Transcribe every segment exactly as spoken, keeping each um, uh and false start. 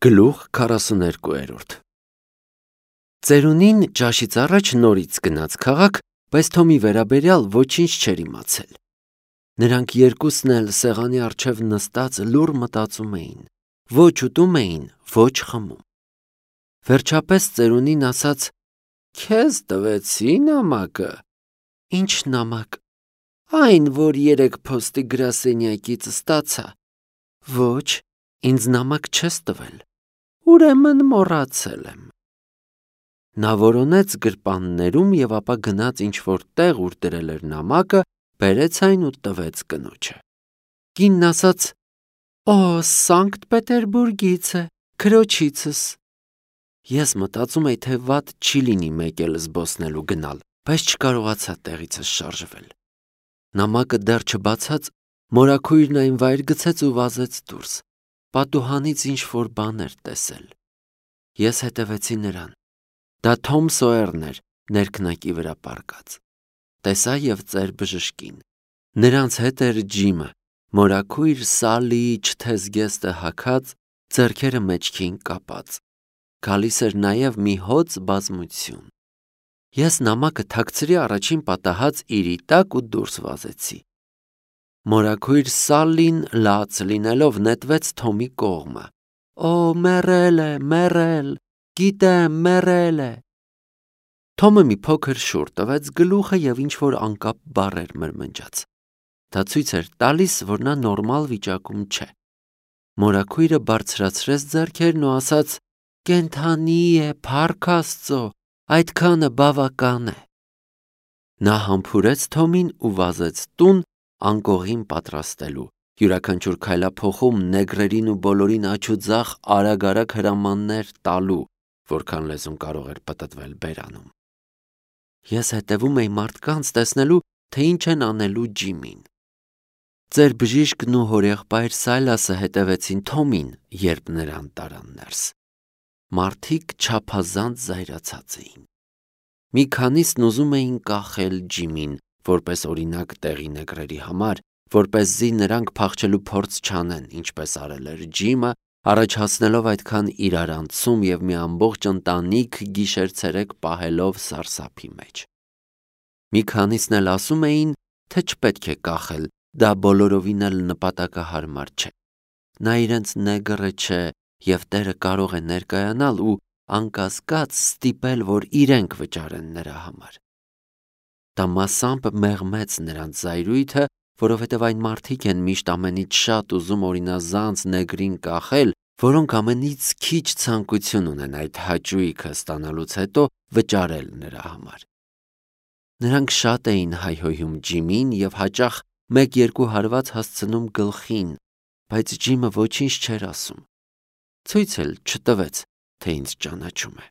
Գլուխ քառասուներկու Ծերունին ճաշից առաջ նորից գնաց քաղաք, բայց Թոմի վերաբերյալ ոչինչ չէր իմացել։ Նրանք երկուսն էլ սեղանի առջև նստած լուռ մտածում էին, ոչ ուտում էին, ոչ խմում։ Վերջապես ծերունին ասաց. «Քեզ տվեցի նամակը»։ «Ինչ նամակ»։ «Այն, որ երեկ փոստի գրասենյակից ստացա»։ «Ոչ, ինձ նամակ չես տվել»։ «Ուրեմն մոռացել եմ»։ Նա որոնեց գրպաններում և ապա գնաց ինչ-որ տեղ, ուր դրել էր նամակը, բերեց այն ու տվեց կնոջը։ Կինն ասաց. «Օ, Սանկտ Պետերբուրգից է, քրոջիցս»։ Ես մտածում էի, թե վատ չի լինի մեկ էլ զբոսնելու գնալ, բայց չկարողացա տեղիցս շարժվել։ Նամակը դեռ չբացած, մորաքույրն այն վայր գցեց ու վազեց դուրս։ Պատուհանից ինչ-որ բան էր տեսել։ Ես հետևեցի նրան։ Դա Թոմ Սոյերն էր, ներքնակի վրա պառկած։ Տեսա և ծեր բժշկին։ Նրանց հետ էր Ջիմը, մորաքույր Սալիի չթեզգեստը հագած, ձեռքերը մեջքին կապած։ Գալիս էր նաև մի հոծ բազմություն։ Ես նամակը թաքցրի առաջին պատահած իրի տակ ու դուրս վազեցի։ Մորաքույր Սալին լաց լինելով նետվեց Թոմի կողմը։ «Օ, մեռել է, մեռել, գիտեմ, մեռել է»։ Թոմը մի փոքր շուռ տվեց գլուխը և ինչ-որ անկապ բառեր մրմնջաց։ Դա ցույց էր տալիս, որ նա նորմալ վիճակում չէ։ Մորաքույրը բարձրացրեց ձեռքերն ու ասաց. «Կենդանի է, փառք Աստծո, այդքանը բավական է»։ Նա համբուրեց Թոմին ու վազեց տուն անկողին պատրաստելու, յուրաքանչյուր քայլափոխում նեգրերին ու բոլորին աջ ու ձախ արագ-արագ հրամաններ տալու, որքան լեզուն կարող էր պտտվել բերանում։ Ես հետևում էի մարդկանց, տեսնելու, թե ինչ են անելու Ջիմին։ Ծեր բժիշկն ու հորեղբայր Սայլասը հետևեցին Թոմին, երբ նրան տարան ներս։ Մարդիկ չափազանց զայրացած էին։ Մի քանիսն ուզում էին կախել Ջիմին, որպես օրինակ տեղի նեգրերի համար, որպեսզի նրանք փախչելու փորձ չանեն, ինչպես արել էր Ջիմը, առաջացնելով այդքան իրարանցում և մի ամբողջ ընտանիք գիշեր-ցերեկ պահելով սարսափի մեջ։ Մի քանիսն էլ ասում էին, թե չպետք է կախել, դա բոլորովին էլ նպատակահարմար չէ։ Նա իրենց նեգրը չէ և Տերը կարող է ներկայանալ ու անկասկած ստիպել, որ իրենք վճարեն նրա համար։ Դա մասամբ մեղմեց նրանց զայրույթը, որովհետև այն մարդիկ են միշտ ամենից շատ ուզում օրինազանց նեգրին կախել, որոնք ամենից քիչ ցանկություն ունեն այդ հաճույքը ստանալուց հետո վճարել նրա համար։ Նրանք շատ էին հայհոյում Ջիմին և հաճախ մեկ-երկու հարված հասցնում գլխին, բայց Ջիմը ոչինչ չէր ասում։ Ցույց էլ չտվեց, թե ինձ ճանաչում է։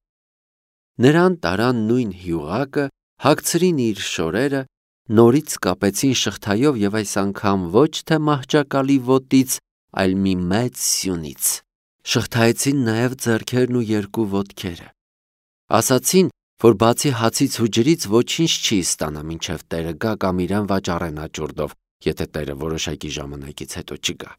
Նրան տարան նույն հյուղակը, հագցրին իր շորերը, նորից կապեցին շղթայով և այս անգամ ոչ թե մահճակալի ոտից, այլ մի մեծ սյունից։ Շղթայեցին նաև ձեռքերն ու երկու ոտքերը։ Ասացին, որ բացի հացից ու ջրից ոչինչ չի ստանա, մինչև Տերը գա կամ իրան վաճառեն աճուրդով, եթե Տերը որոշակի ժամանակից հետո չգա։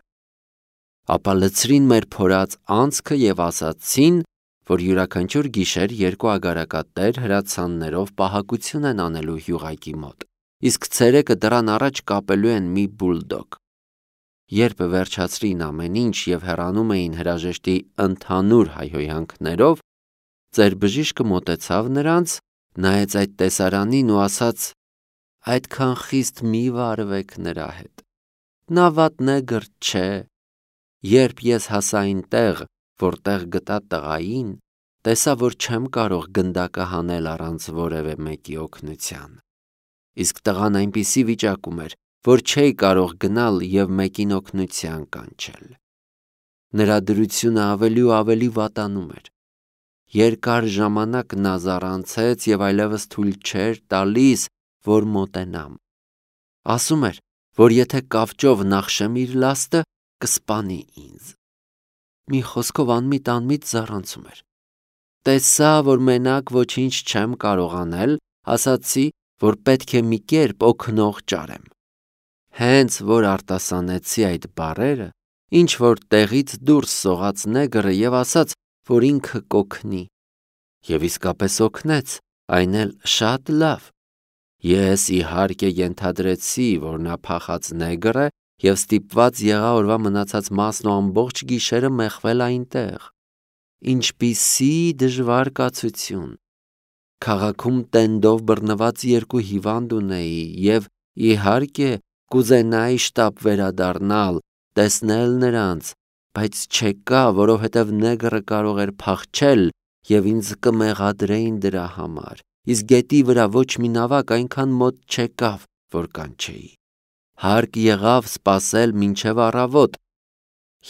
Ապա լցրին մեր փորած անցքը և ասացին, որ յուրաքանչյուր գիշեր երկու ագարակատեր հրացաններով պահակություն են անելու հյուղակի մոտ, իսկ ցերեկը դռան առաջ կապելու են մի բուլդոգ։ Երբ վերջացրին ամեն ինչ և հեռանում էին հրաժեշտի ընդհանուր հայհոյանքներով, ծեր բժիշկը մոտեցավ նրանց, նայեց այդ տեսարանին ու ասաց. «Այդքան խիստ մի վարվեք նրա հետ։ Նա վատ նեգր չէ։ Երբ ես հասա այնտեղ, որտեղ գտա տղային, տեսա, որ չեմ կարող գնդակը հանել առանց որևէ մեկի օգնության։ Իսկ տղան այնպիսի վիճակում էր, որ չէի կարող գնալ և մեկին օգնության կանչել։ Նրա դրությունը ավելի ու ավելի վատանում էր։ Երկար ժամանակ նա զառանցեց և այլևս թույլ չէր տալիս, որ մոտենամ։ Ասում էր, որ եթե կավճով նախշեմ իր լաստը, կսպանի ինձ։ Մի խոսքով անմիտ-անմիտ զառանցում էր։ Տեսա, որ մենակ ոչինչ չեմ կարող անել, ասացի, որ պետք է մի կերպ օգնող ճարեմ։ Հենց որ արտասանեցի այդ բառերը, ինչ որ տեղից դուրս սողաց նեգրը եւ ասաց, որ ինքը կօգնի։ Եվ իսկապես օգնեց, այն էլ շատ լավ։ Ես իհարկե ենթադրեցի, որ նա փախած նեգր է եւ ստիպված եղա օրվա մնացած մասն ու ամբողջ գիշերը մեխվել այնտեղ։ Ինչպիսի դժվար կացություն։ Քաղաքում տենդով բռնված երկու հիվանդ ունեի եւ իհարկե կուզենայի շտապ վերադառնալ, տեսնել նրանց, բայց չեկա, որովհետեւ նեգրը կարող էր փախչել եւ ինձ կմեղադրեին դրա համար։ Իսկ գետի վրա ոչ մի նավակ այնքան մոտ չեկավ, որ կանչեի։ Հարկ եղավ սպասել մինչև առավոտ։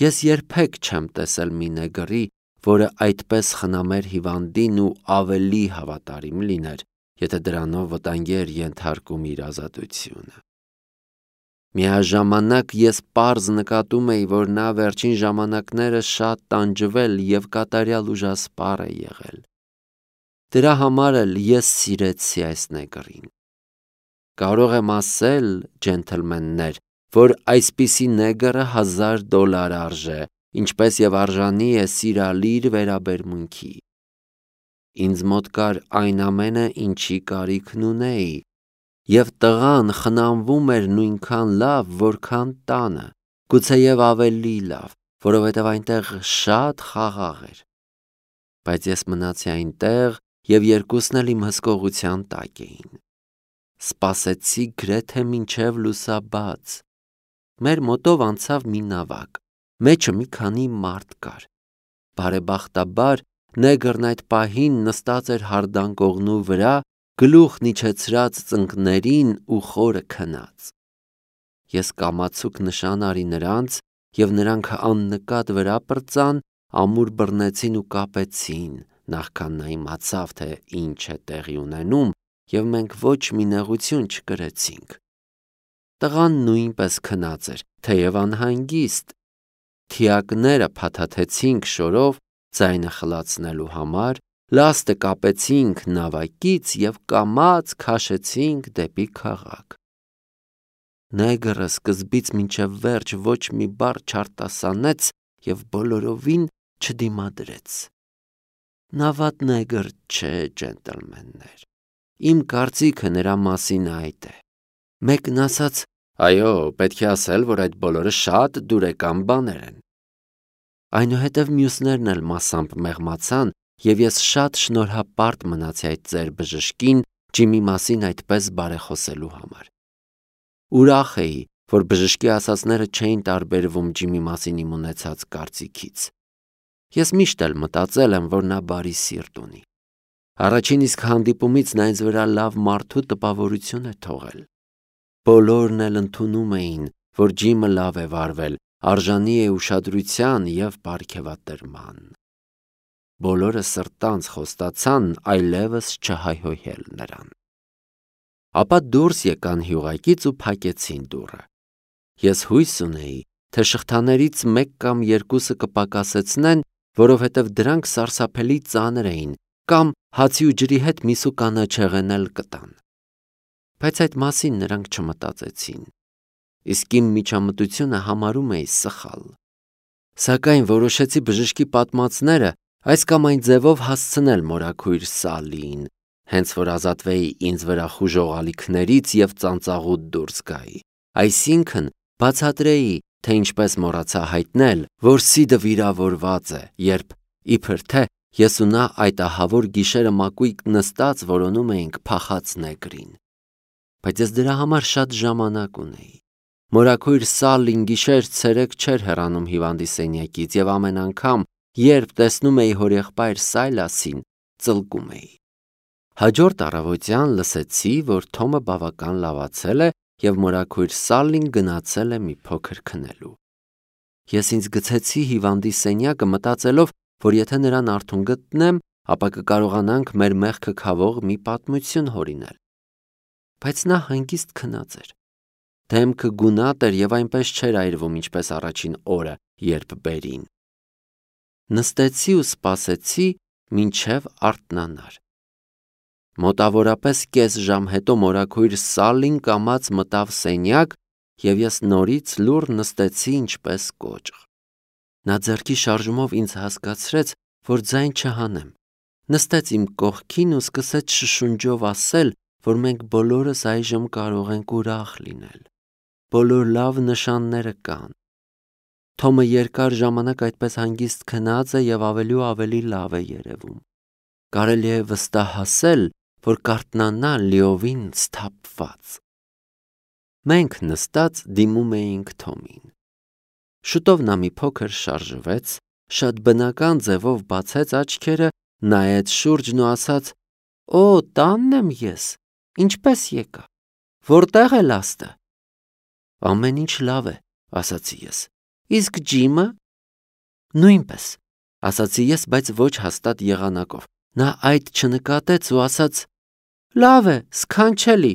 Ես երբեք չեմ տեսել մի նեգրի, որը այդպես խնամեր հիվանդին ու ավելի հավատարիմ լիներ, եթե դրանով վտանգի էր ենթարկում իր ազատությունը։ Միաժամանակ ես պարզ նկատում էի, որ նա վերջին ժամանակները շատ տանջվել եւ կատարյալ ուժասպառ է եղել։ Դրա համար էլ ես սիրեցի այս նեգրին։ Կարող եմ ասել, ջենթլմեններ, որ այսպիսի նեգրը հազար դոլար արժե, ինչպես եւ արժանի է սիրալիր վերաբերմունքի։ Ինձ մոտ կար այն ամենը, ինչի կարիքն ունեի, եւ տղան խնամվում էր նույնքան լավ, որքան տանը, գուցեև ավելի լավ, որովհետեւ այնտեղ շատ խաղաղ էր։ Բայց ես մնացի այնտեղ եւ երկուսն էլ իմ հսկողության տակ էին։ Սպասեցի գրեթե մինչև լուսաբաց։ Մեր մոտով անցավ մի նավակ, մեջը մի քանի մարդ կար։ Բարեբախտաբար նեգրն այդ պահին նստած էր հարդանկողնու վրա, գլուխն իջեցրած ծնկներին ու խորը քնած։ Ես կամացուկ նշան արի նրանց եւ նրանք աննկատ վրա պրծան, ամուր բռնեցին ու կապեցին, նախքան նա իմացավ, թե ինչ է տեղի ունենում, եւ մենք ոչ մի նեղություն չկրեցինք։ Տղան նույնպես քնած էր, թեև անհանգիստ։ Թիակները փաթաթեցինք շորով ձայնը խլացնելու համար, լաստը կապեցինք նավակից եւ կամաց քաշեցինք դեպի քաղաք։ Նեգրը սկզբից մինչև վերջ ոչ մի բառ չարտասանեց եւ բոլորովին չդիմադրեց։ Նա վատ նեգր չէ, ջենտլմեններ։ Իմ կարծիքը նրա մասին այդ է։ Մեկն ասաց. «Այո, պետք է ասել, որ այդ բոլորը շատ դուրեկան բաներ են»։ Այնուհետև մյուսներն էլ մասամբ մեղմացան, եւ ես շատ շնորհապարտ մնացի այդ ծեր բժշկին Ջիմի մասին այդպես բարեխոսելու համար։ Ուրախ էի, որ բժշկի ասածները չէին տարբերվում Ջիմի մասին իմ ունեցած կարծիքից։ Ես միշտ էլ մտածել եմ, որ նա բարի սիրտ ունի։ Առաջին իսկ հանդիպումից նա ինձ վրա լավ մարդու տպավորություն է թողել։ Բոլորն էլ ընդունում էին, որ Ջիմը լավ է վարվել, արժանի է ուշադրության եւ պարգևատրման։ Բոլորը սրտանց խոստացան այլևս չհայհոյել նրան։ Ապա դուրս եկան հյուղակից ու փակեցին դուռը։ Ես հույս ունեի, թե շղթաներից մեկ կամ երկուսը կպակասեցնեն, որովհետև դրանք սարսափելի ծանր էին, կամ հացի ու ջրի հետ միսու կանաչեղեն էլ կտան։ Բայց այդ մասին նրանք չմտածեցին։ Իսկ իմ միջամտությունը համարում էի սխալ։ Սակայն որոշեցի բժշկի պատմածները այս կամ այն ձևով հասցնել մորաքույր Սալիին, հենց որ ազատվեի ինձ վրա խուժող ալիքներից եւ ծանծաղուտ դուրս գայի։ Այսինքն բացատրեի, թե ինչպես մոռացա հայտնել, որ Սիդը վիրավորված է, երբ իբր թե ես ու նա այդ ահավոր գիշերը մակույկ նստած որոնում էինք փախած նեգրին։ Բայց ես դրա համար շատ ժամանակ ունեի։ Մորաքույր Սալին գիշեր-ցերեկ չէր հեռանում հիվանդի սենյակից եւ ամեն անգամ, երբ տեսնում էի հորեղբայր Սայլասին, ծլկում էի։ Հաջորդ առավոտյան լսեցի, որ Թոմը բավական լավացել է եւ մորաքույր Սալին գնացել է մի փոքր քնելու։ Ես ինձ գցեցի հիվանդի սենյակը մտածելով, որ եթե նրան արթուն գտնեմ, ապա կկարողանանք մեր մեղքը քավող մի պատմություն հորինել։ Բայց նա հանգիստ քնած էր։ Դեմքը գունատ էր եւ այնպես չէր այրվում, ինչպես առաջին օրը, երբ բերին։ Նստեցի ու սպասեցի, մինչև արթնանար։ Մոտավորապես կես ժամ հետո մորաքույր Սալին կամաց մտավ սենյակ, եւ ես նորից լուռ նստեցի ինչպես կոճղ։ Նա ձեռքի շարժումով ինձ հասկացրեց, որ ձայն չհանեմ։ Նստեց իմ կողքին ու սկսեց շշունջով ասել, որ մենք բոլորս այժմ կարող ենք ուրախ լինել։ Բոլոր լավ նշանները կան։ Թոմը երկար ժամանակ այդպես հանգիստ քնած է և ավելի ու ավելի լավ է երևում։ Կարելի է վստահել, որ կարթնանա լիովին սթափված։ Մենք նստած դիմում էինք Թոմին։ Շուտով նա մի փոքր շարժվեց, շատ բնական ձևով բացեց աչքերը, նայեց շուրջն ու ասաց. «Օ, տանն եմ ես, ինչպես եկա, որտեղ է լաստը»։ «Ամեն ինչ լավ է», ասացի ես։ «Իսկ Ջիմը»։ «Նույնպես», ասացի ես, բայց ոչ հաստատ եղանակով։ Նա այդ չնկատեց ու ասաց. «Լավ է, սքանչելի։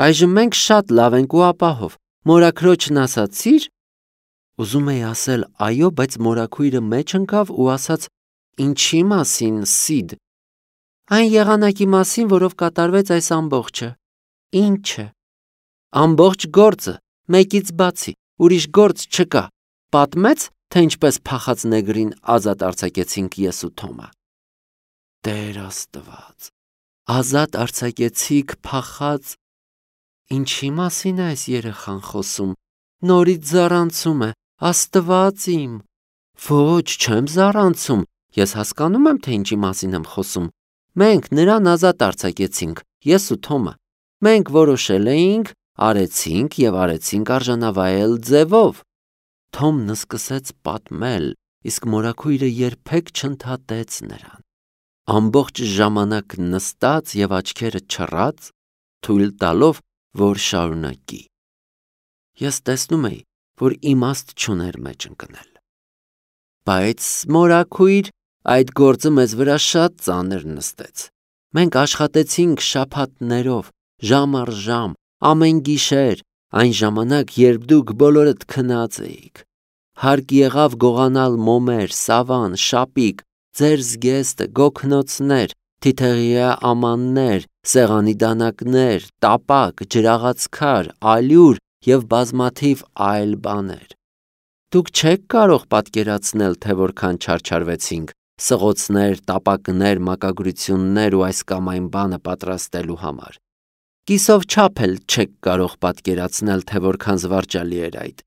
Այժմ մենք շատ լավ ենք ու ապահով։ Մորաքրոջն ասացի՞ր»։ Ուզում էի ասել այո, բայց մորաքույրը մեջ ընկավ ու ասաց. «Ինչի մասին, Սիդ»։ «Այն եղանակի մասին, որով կատարվեց այս ամբողջը»։ «Ի՞նչը»։ «Ամբողջ գործը, մեկից բացի, ուրիշ գործ չկա։ Պատմեց, թե ինչպես փախած նեգրին ազատ արձակեցինք ես ու Թոմը»։ Տեր Աստված, ազատ արձակեցիք փախած։ Ինչի մասին է այս երեխան խոսում։ Նորից զառանցում է, Աստված իմ։ Ոչ, չեմ զառանցում, ես հասկանում եմ, թե ինչի մասին եմ խոսում։ Մենք նրան ազատ արձակեցինք, ես ու Թոմը։ Մենք որոշել էինք, արեցինք և արեցինք արժանավայել ձևով։ Թոմն սկսեց պատմել, իսկ մորաքույրը երբեք չընդհատեց նրան։ Ամբողջ ժամանակ նստած և աչքերը չռած, թույլ տալով, որ շարունակի։ Ես տեսնում էի, որ իմաստ չուներ մեջ ընկնել։ Բայց մորաքույր, այդ գործը մեզ վրա շատ ծանր նստեց։ Մենք աշխատեցինք շաբաթներով, ժամ առ ժամ, ամեն գիշեր, այն ժամանակ, երբ դուք բոլորդ քնած էիք։ Հարկ եղավ գողանալ մոմեր, սավան, շապիկ, ձեր զգեստը, գոգնոցներ, թիթեղյա ամաններ, սեղանի դանակներ, տապակ, ջրաղացքար, ալյուր և բազմաթիվ այլ բաներ։ Դուք չեք կարող պատկերացնել, թե որքան չարչարվեցինք սղոցներ, տապակներ, մակագրություններ ու այս կամ այն բանը պատրաստելու համար։ Կիսով չափ էլ չեք կարող պատկերացնել, թե որքան զվարճալի էր այդ։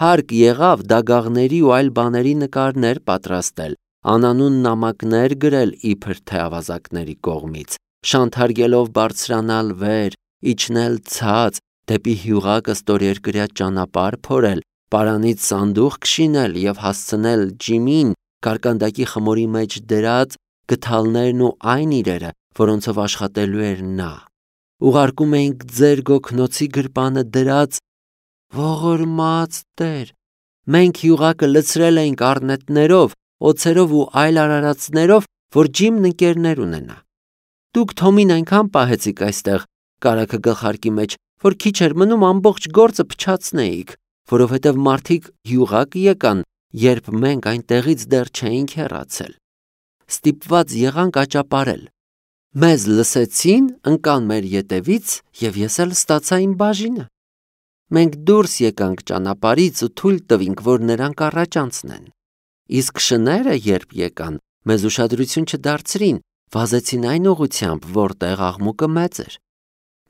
Հարկ եղավ դագաղների ու այլ բաների նկարներ պատրաստել, անանուն նամակներ գրել իբր թե ավազակների կողմից, շանթարգելով բարձրանալ վեր, իջնել ցած, դեպի հյուղակը ստորերկրյա ճանապարհ փորել, պարանից սանդուղք շինել և հասցնել Ջիմին կարկանդակի խմորի մեջ դրած գդալներն ու այն իրերը, որոնցով աշխատելու էր նա։ Ուղարկում էինք ձեր գոգնոցի գրպանը դրած։ Ողորմած Տեր, մենք հյուղակը լցրել էինք առնետներով, օձերով ու այլ արարածներով, որ Ջիմն ընկերներ ունենա։ Դուք Թոմին այնքան պահեցիք այստեղ կարագը գլխարկի մեջ, որ քիչ էր մնում ամբողջ գործը փչացնեիք, որովհետև մարդիկ հյուղակ եկան, երբ մենք այնտեղից դեռ չէինք հեռացել։ Ստիպված եղանք աճապարել։ Մեզ լսեցին, ընկան մեր ետևից, և ես էլ ստացա իմ բաժինը։ Մենք դուրս եկանք ճանապարհից ու թույլ տվինք, որ նրանք առաջ անցնեն։ Իսկ շները, երբ եկան, մեզ ուշադրություն չդարձրին, վազեցին այն ուղղությամբ, որտեղ աղմուկը մեծ էր։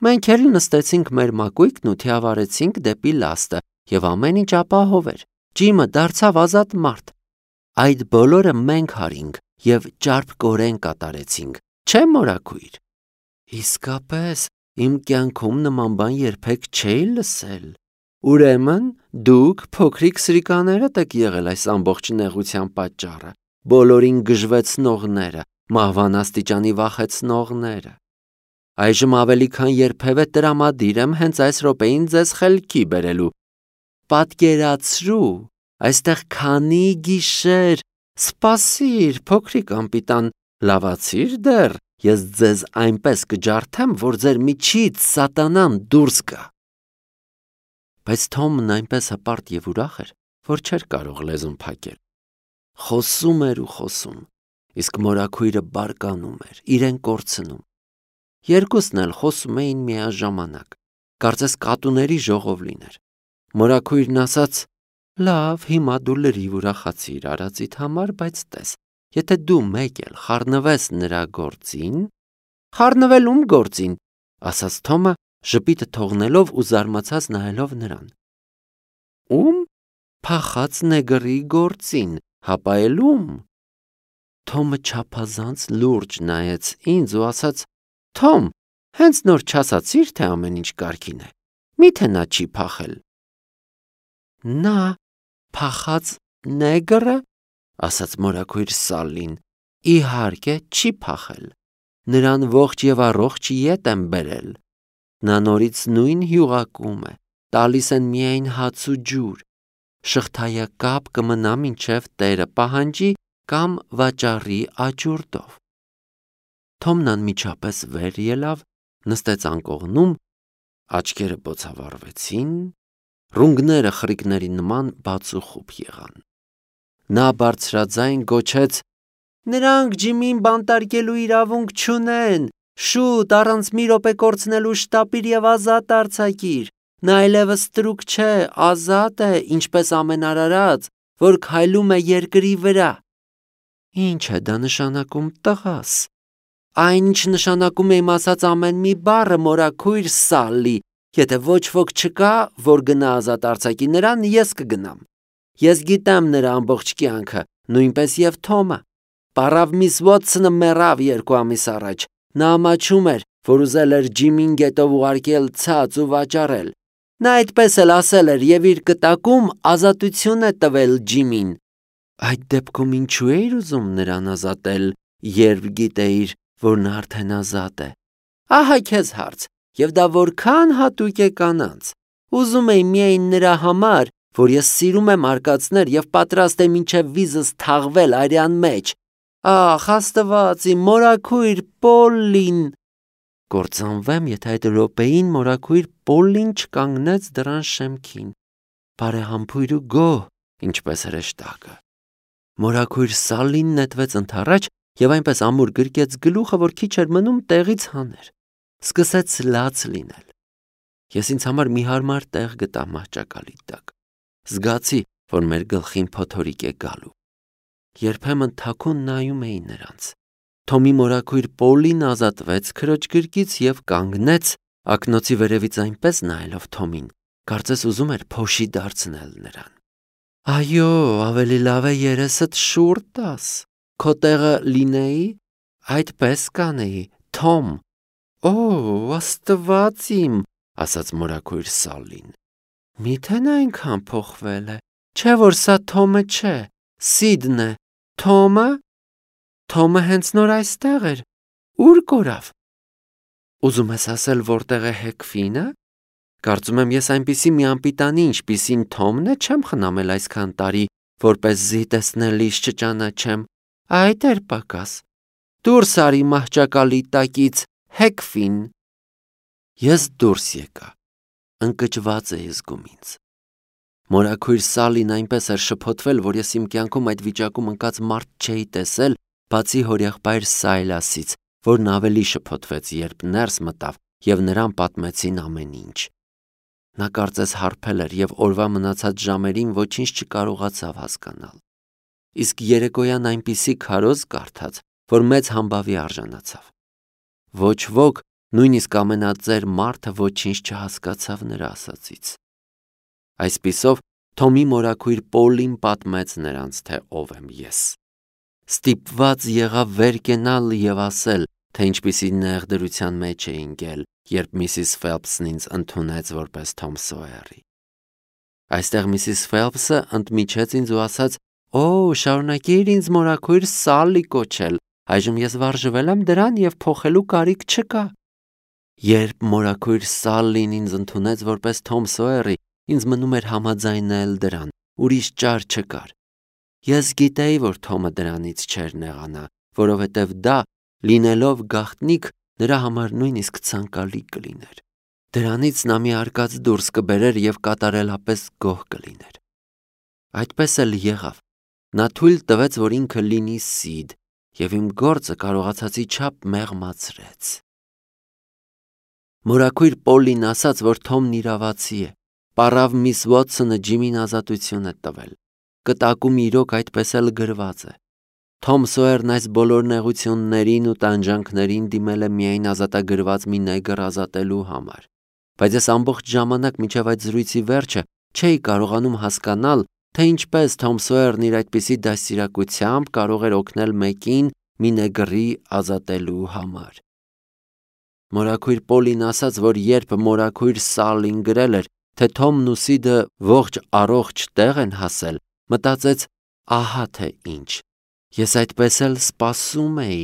Մենք էլ նստեցինք մեր մակույկն ու թիավարեցինք դեպի լաստը, և ամեն ինչ ապահով էր։ Ջիմը դարձավ ազատ մարդ։ Այդ բոլորը մենք արինք և ճարպկորեն կատարեցինք, չէ՞ մորաքույր։ Իսկապես, իմ կյանքում նման բան երբեք չէի լսել։ Ուրեմն դուք փոքրիկ սրիկաներդ եք եղել այս ամբողջ նեղության պատճառը, բոլորին գժվեցնողները, մահվան աստիճանի վախեցնողները։ Այժմ ավելի քան երբևէ տրամադիր եմ հենց այս րոպեին ձեզ խելքի բերելու։ Պատկերացրու, այստեղ քանի գիշեր։ Սպասիր, փոքրիկ անպիտան, լավացի՞ր դեռ, ես ձեզ այնպես կջարդեմ, որ ձեր միջից սատանան դուրս գա։ Բայց Թոմն այնպես հպարտ և ուրախ էր, որ չէր կարող լեզուն փակել։ Խոսում էր ու խոսում, իսկ մորաքույրը բարկանում էր, իրեն կորցնում։ Երկուսն էլ խոսում էին միաժամանակ, կարծես կատուների ժողով լիներ։ Մորաքույրն ասաց. Լավ, հիմա դու լրիվ ուրախացիր արածիդ համար, բայց տես, եթե դու մեկ էլ խառնվես նրա գործին, խառնվել ում գործին, ասաց Թոմը, ժպիտը թողնելով ու զարմացած նայելով նրան։ Ում? Փախած նեգրի գործին, հապա էլ ում։ Թոմը չափազանց լուրջ նայեց ինձ ու ասաց. Թոմ, հենց նոր չասացիր, թե ամեն ինչ կարգին է։ Միթե նա չի փախել։ Նա փախած նեգրը, ասաց մորաքույր Սալլին, իհարկե չի փախել։ Նրան ողջ եւ առողջ ետ եմ բերել։ Նա նորից նույն հյուղակում է, տալիս են միայն հաց ու ջուր։ Շղթայակապ կմնա մինչև տերը պահանջի կամ վաճառի աճուրդով։ Թոմն անմիջապես վեր ելավ, նստեց անկողնում, աչքերը բոցավառվեցին, ռունգները խրիկների նման բաց ու խուփ եղան։ Նա բարձրաձայն գոչեց. Նրանք Ջիմին բանտարկելու իրավունք չունեն, շուտ առանց մի րոպե կորցնելու շտապիր եւ ազատ արձակիր։ Նա այլևս ստրուկ չէ, ազատ է, ինչպես ամեն արարած, որ քայլում է երկրի վրա։ Ինչ է դա նշանակում, տղաս։ Այն ինչ նշանակում է իմ ասած ամեն մի բառը, մորաքույր Սալլի, եթե ոչ ոք չկա, որ գնա ազատ արձակի նրան, ես կգնամ։ Ես գիտեմ նրա ամբողջ կյանքը, նույնպես եւ Թոմը։ Պարավ միս Ուոթսոնը մեռավ երկու ամիս առաջ։ Նա ամաչում էր, որ ուզել էր Ջիմին գետով ուղարկել ցած ու վաճառել։ Նա այդպես էլ ասել էր եւ իր կտակում ազատություն է տվել Ջիմին։ Այդ դեպքում ինչու էիր ուզում նրան ազատել, երբ գիտեիր, որ նա արդեն ազատ է։ Ահա քեզ հարց, եւ դա որքան հատուկ է կանանց։ Ուզում էի միայն նրա համար, որ ես սիրում եմ արկածներ եւ պատրաստ եմ մինչեւ վիզս թաղվել արյան մեջ։ Ախ, Աստված, իմ մորաքույր Պոլլին։ Կործանվեմ, եթե այդ րոպեին մորաքույր Պոլլին չկանգնեց դրան շեմքին։ Բարեհամբույր ու գոհ, ինչպես հրեշտակը։ Մորաքույր Սալլին նետվեց ընդառաջ եւ այնպես ամուր գրկեց գլուխը, որ քիչ էր մնում տեղից հաներ։ Սկսեց լաց լինել։ Ես ինձ համար մի հարմար տեղ գտա մահճակալի տակ։ Զգացի, որ մեր գլխին փոթորիկ է գալու։ Երբեմն թաքուն նայում էի նրանց։ Թոմի մորաքույր Պոլին ազատվեց քրոջ գրկից եւ կանգնեց, ակնոցի վերևից այնպես նայելով Թոմին, կարծես ուզում էր փոշի դարձնել նրան։ Այո, ավելի լավ է երեսդ շուռ տաս։ Քո տեղը լինեի, այդպես կանեի, Թոմ։ Օ, Աստված իմ, ասաց մորաքույր Սալլին։ Միթե նա այնքան փոխվել է, չէ որ սա Թոմը չէ, Սիդն է։ Թոմը։ Թոմը հենց նոր այստեղ էր։ Ուր կորավ։ Ուզում ես ասել, որտեղ է Հեքֆինը։ Կարծում եմ ես այնպիսի մի անպիտանի, ինչպիսին Թոմն է, չեմ խնամել այսքան տարի, որպեսզի տեսնելիս չճանաչեմ։ Այդ էր պակաս։ Դուրս արի մահճակալի տակից, Հեքֆին։ Ես դուրս եկա։ Ընկճված էի զգում ինձ։ Մորաքույր Սալլին այնպես էր շփոթվել, որ ես իմ կյանքում այդ վիճակում ընկած մարդ չէի տեսել, բացի հորեղբայր Սայլասից, որն ավելի շփոթվեց, երբ ներս մտավ եւ նրան պատմեցին ամեն ինչ։ Նա կարծես հարբել էր եւ օրվա մնացած ժամերին ոչինչ չկարողացավ հասկանալ։ Իսկ երեկոյան այնպիսի քարոզ կարդաց, որ մեծ համբավի արժանացավ։ Ոչ ոք, նույնիսկ ամենածեր մարդը ոչինչ չհասկացավ նրա ասածից։ Այսպիսով Թոմի մորաքույր Պոլին պատմեց նրանց, թե ով եմ ես։ Ստիպված եղավ վեր կենալ եւ ասել, թե ինչպիսի նեղդրության մեջ է ընկել, երբ Միսիս Ֆելփսն ինձ ընդունեց որպես Թոմ Սոյերի։ Այստեղ Միսիս Ֆելփսը ընդմիջեց ինձ ու ասաց. «Օ, շարունակիր ինձ մորաքույր Սալլի կոչել, այժմ ես վարժվել եմ դրան եւ փոխելու կարիք չկա»։ Երբ մորաքույր Սալլին ինձ ընդունեց որպես Թոմ Սոյերի, ինձ մնում էր համաձայնել դրան, ուրիշ ճար չկար։ Ես գիտեի, որ Թոմը դրանից չէր նեղանա, որովհետև դա, լինելով գաղտնիք, նրա համար նույնիսկ ցանկալի կլիներ։ Դրանից նա մի արկած դուրս կբերեր եւ կատարելապես գոհ կլիներ։ Այդպես էլ եղավ։ Նա թույլ տվեց, որ ինքը լինի Սիդ, եւ իմ գործը կարողացածի չափ մեղմացրեց։ Մորաքույր Պոլին ասաց, որ Թոմն իրավացի է, Պարավ միս Վոթսոնը Ջիմին ազատություն է տվել։ Կտակում իրոք այդպես էլ գրված է։ Թոմ Սոյերն այս բոլոր նեղություններին ու տանջանքներին դիմել է միայն ազատագրված մի նեգր ազատելու համար։ Բայց ես ամբողջ ժամանակ մինչև այդ զրույցի վերջը չէի կարողանում հասկանալ, թե ինչպես Թոմ Սոյերն իր այդպիսի դաստիարակությամբ կարող էր օգնել մեկին մի նեգրի ազատելու համար։ Մորաքույր Պոլին ասաց, որ երբ մորաքույր Սալին գրել էր, թե Թոմն ու Սիդը ողջ առողջ տեղ են հասել, մտածեց, ահա թե ինչ։ Ես այդպես էլ սպասում էի,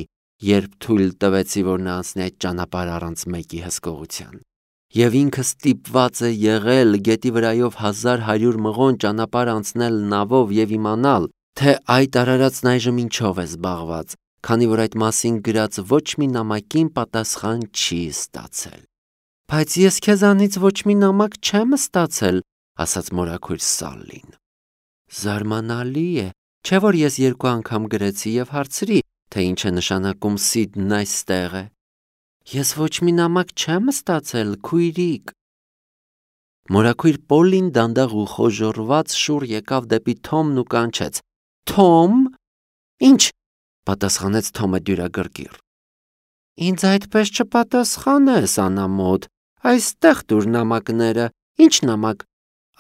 երբ թույլ տվեցի, որ նա անցնի այդ ճանապարհ առանց մեկի հսկողության։ Եվ ինքը ստիպված է եղել գետի վրայով հազար հարյուր մղոն ճանապարհ անցնել նավով եւ իմանալ, թե այդ արարածն այժմ ինչով է զբաղված, քանի որ այդ մասին գրած ոչ մի նամակին պատասխան չի ստացել։ Բայց ես քեզանից ոչ մի նամակ չեմ ստացել, ասաց մորաքույր Սալին։ Զարմանալի է, չէ՞ որ ես երկու անգամ գրեցի եւ հարցրի, թե ինչ է նշանակում Սիդն այստեղ է։ Ես ոչ մի նամակ չեմ ստացել, քույրիկ։ Մորաքույր Պոլին դանդաղ ու խոժոռված շուռ եկավ դեպի Թոմն ու կանչեց. Թոմ, ինչ, պատասխանեց Թոմը դյուրագրգիռ։ Ինձ այդպես չպատասխանես, անամոթ, այստեղ տուր նամակները։ Ինչ նամակ։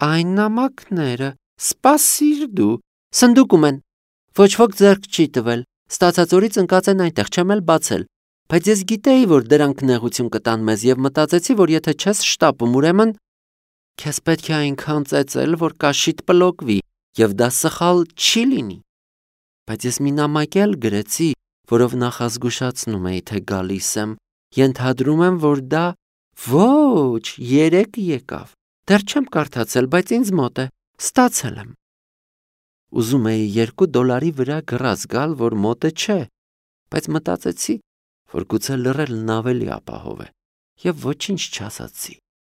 Այն նամակները, սպասիր դու, սնդուկում են։ Ոչ ոք ձեռք չի տվել, ստացած օրից ընկած են այնտեղ, չեմ էլ բացել։ Բայց ես գիտեի, որ դրանք նեղություն կտան մեզ եւ մտածեցի, որ եթե չես շտապում, ուրեմն քեզ պետք է այնքան ծեծել, որ կաշիդ պլոկվի եւ դա սխալ չի լինի։ Բայց ես մի նամակ էլ գրեցի, որով նախազգուշացնում էի, թե գալիս եմ, ենթադրում եմ, որ դա ոչ, երեք եկավ։ Դեռ չեմ կարդացել, բայց ինձ մոտ է, ստացել եմ։ Ուզում էի երկու դոլարի վրա գրած գալ, որ մոտը չէ, բայց մտածեցի, որ գուցե լռելն ավելի ապահով է, եւ ոչինչ չասացի։